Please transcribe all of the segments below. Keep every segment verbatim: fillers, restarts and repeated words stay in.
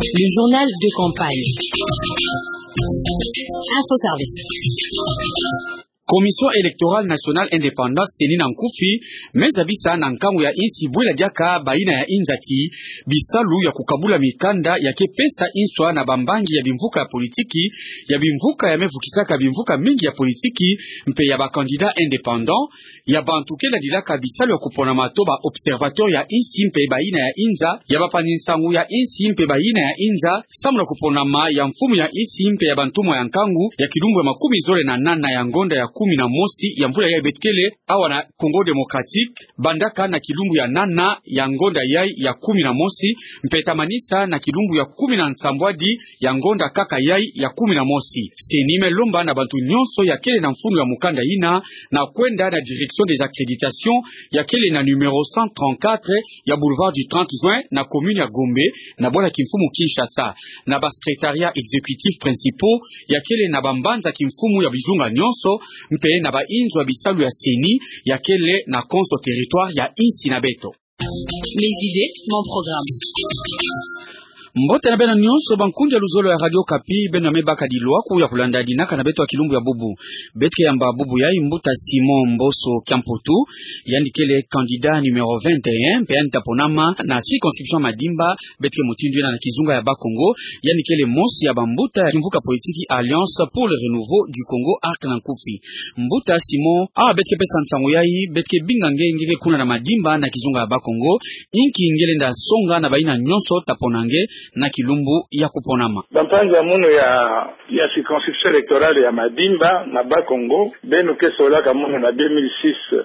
Le journal de campagne. Info Service. Commission électorale nationale indépendante, CENI na nkufi, me zabisa na nkangu ya insi bwela diaka bayina ya inzati, bisalu ya kukabula mikanda ya ke pesa inswa na bambangi ya bimvuka ya politiki, ya bimvuka ya me vukisaka bimvuka mingi ya politiki, mpe ya ba candidats indépendants, ya bantu ke ladilaka bisalu ya kuponama to ba observateurs ya insi mpe bayina ya inza, ya bapani nsangu ya insi mpe bayina ya inza, samu na kuponama ya mfumu ya insi mpe ya bantumwa ya nkangu ya kilumbu ya makumi zole na nana ya ngonda ya kumi na mosi ya mvula yayi beto kele awa na Congo Démocratique, bandaka na kilumbu ya nana ya ngonda yayi ya kumi na mosi, mpe tamanisa na kilumbu ya kumi na nsambwadi ya ngonda kaka yayi ya kumi na mosi. CENI me lomba na bantu nyonso ya kele na mfunu ya mukanda yina na kwenda na direction des accréditations ya kele na numéro cent trente-quatre ya boulevard du trente juin na commune ya Gombe, na bwala kimfumu Kinshasa, na ba secrétariats exécutifs principaux ya kele na bambanza kimfumu ya bizunga nyonso, mpe na bainzo ya bisalu ya CENI ya kele na konso territoire ya insi na beto. Mes idées, mon programme. Mbote na beno nyonso, bankundi ya luzolo ya Radio Okapi, beno ya me baka dilwaku ya kulanda dinaka na beto ya kilumbu ya bubu. Beto ke yamba bubu yayi mbuta Simon Mboso Kiamputu, yandi kele candidat numéro vingt et un, mpe yandi ta ponama na circonscription Madimba, beto ke mutindu yina na kizunga ya Bakongo, yandi kele mosi ya bambuta ya kimvuka politiki Alliance pour le Renouveau du Congo, ARC na nkufi. Mbuta Simon, awa beto ke pesa nsangu yayi, beto ke binga nge, nge ke kuna na Madimba na kizunga ya Bakongo, inki nge lenda songa na bayina nyonso ta pona nge na kilumbu ya kuponama? Bampangi ya munu ya, ya circonscription électorale ya Madimba na Bakongo, beno ke solaka munu na deux mille six,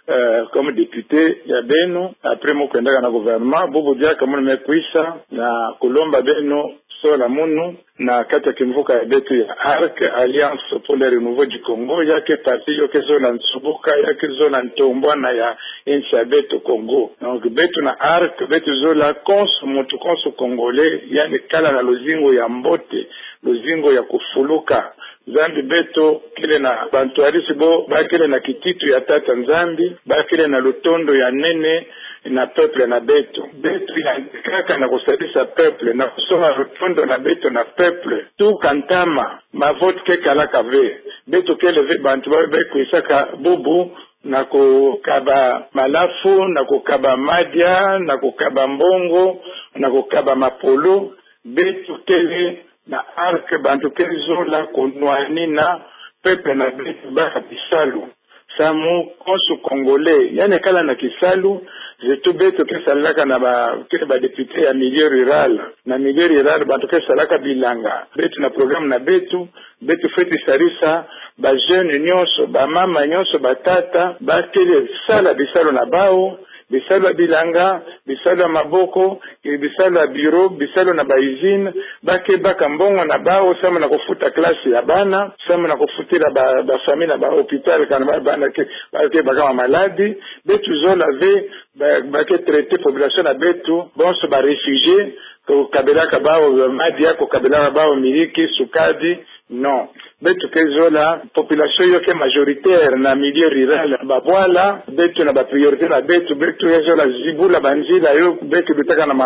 euh, comme député ya beno, après mu kwendaka na gouvernement, bubu diaka munu me kwisa na kulomba beno sola munu na kati ya kimvuka ya beto ya ARC, Alliance pour le Renouveau du Congo, ya ke parti yo ke zola nsubuka, ya ke zola ntombwana ya insi ya beto Congo. Donc, beto na ARC, beto zola konso muntu, konso Congolais, yandi kala na luzingu ya mbote, luzingu ya kufuluka. Nzambi beto kele na bantwarisi bo, ba kele na kititu ya Tata Nzambi, ba kele na lutondo ya nene na peuple na beto. Beto yandi kaka na kusalisa peuple, na kusonga lutondo na beto na peuple. Tuka ntama, ma vote ke kalaka ve. Beto kele ve bantu ba, ba kwisaka bubu na kukaba malafu, na kukaba madia, na kukaba mbongo, na kukaba mapolo. Beto kele na ARC bantu ke zola kunwanina peuple na beto baka bisalu. Samu konso Congolais yandi kala na kisalu, surtout beto ke salaka na ba, ke ba député ya milieu rural. Na milieu rural, bantu ke salaka bilanga. Beto na programme na beto, beto fweti sarisa ba jeunes nyonso, bamama nyonso, batata, ba kele sala bisalu na bawu, bisalu ya bilanga, bisalu ya maboko, e, bisalu ya bureau, bisalu na ba usine, ba ke baka mbongo na bawu, samu na kufuta classe ya bana, samu na kufutila ba, ba famille na ba hôpital, kana ba, bana ke, ba ke baka ma maladi. Beto zola ve, ba, ba ke traiter population na beto, bonso ba réfugiés, kukabilaka bawu madia, kukabilaka bawu miliki, sukadi, non. Beto ke zola, population yo ke majoritaire na milieu rural. Babwala, beto na ba priorité na beto, beto ke zola zibula banzila yo, beto lutaka na ma,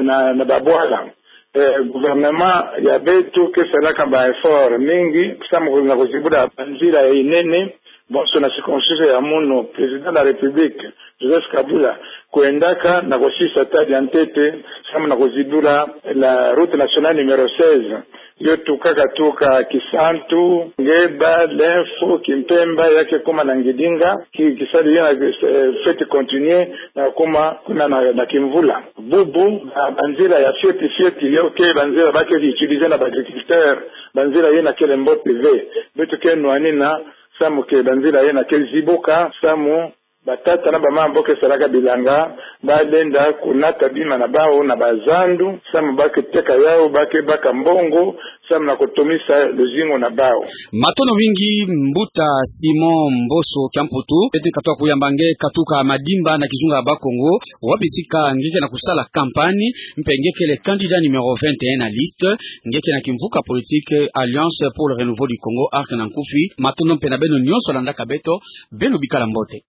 na, na babwala. Eh, gouvernement ya beto ke salaka ba effort mingi, samu na kuzibula banzila ya inene, bonso na circonstance ya munu, Président de la République, Joseph Kabila, kwendaka na kusisa stade ya ntete, samu na kuzibula la route nationale numéro seize. Yo tukaka tuka Kisantu, Ngeba, Lemfu, Kimpemba, ya ke kuma na Ngidinga, ki, kisalu yina, eh, fweti continuer na kuma kuna na, na Kimvula. Bubu, ba, banzila ya fioti fioti, yo ke banzila ba ke utiliser na ba agriculteurs, banzila yina kele mbote ve. Beto ke nwanina, samu ke banzila yina ke zibuka, samu batata na bamama bo ke salaka bilanga, ba lenda kunata bima na bawu na bazandu, samu ba ke teka yawu, ba ke baka mbongo, samu na kutomisa luzingu na bawu. Matondo mingi, mbuta Simon Mboso Kiamputu. Beto ke katuka kuyamba nge katuka Madimba na kizunga ya Bakongo, wapi sika nge ke na kusala campagne, mpe nge kele candidat numéro vingt et un na liste, nge ke na kimvuka politique Alliance pour le Renouveau du Congo, ARC na nkufi. Matondo mpe na beno nyonso landaka beto, beno bikala mbote.